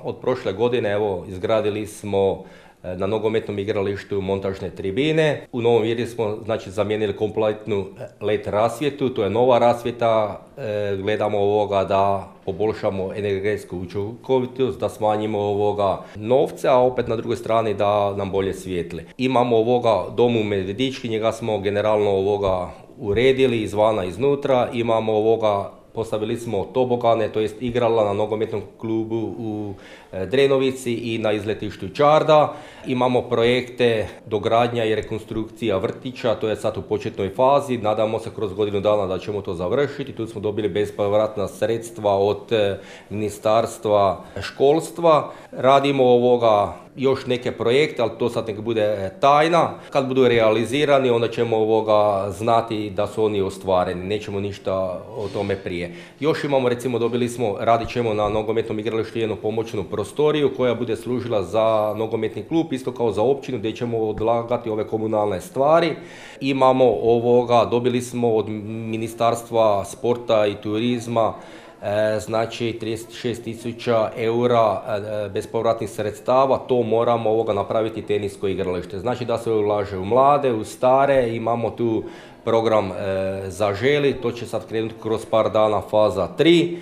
od prošle godine evo izgradili smo na nogometnom igralištu montažne tribine. U Novom Virju smo znači zamijenili kompletnu LED rasvjetu, to je nova rasvjeta. Gledamo da poboljšamo energetsku učinkovitost, da smanjimo novce, a opet na drugoj strani da nam bolje svijetli. Imamo dom u Medvedički, njega smo generalno uredili izvana iznutra. Imamo postavili smo tobogane, to jest igrala na nogometnom klubu u Drenovici i na izletištu Čarda. Imamo projekte dogradnja i rekonstrukcija vrtića, to je sad u početnoj fazi. Nadamo se kroz godinu dana da ćemo to završiti. Tu smo dobili bespovratna sredstva od Ministarstva školstva. Radimo još neke projekte, ali to sad nek bude tajna. Kad budu realizirani, onda ćemo znati da su oni ostvareni. Nećemo ništa o tome prije. Još imamo, recimo, radit ćemo na nogometnom igralištu jednu pomoćnu prostoriju koja bude služila za nogometni klub, isto kao za općinu, gdje ćemo odlagati ove komunalne stvari. Imamo dobili smo od Ministarstva sporta i turizma znači 36.000 eura bespovratnih sredstava. To moramo napraviti tenisko igralište. Znači da se ulaže u mlade, u stare. Imamo tu program Zaželi, to će sad krenuti kroz par dana faza 3.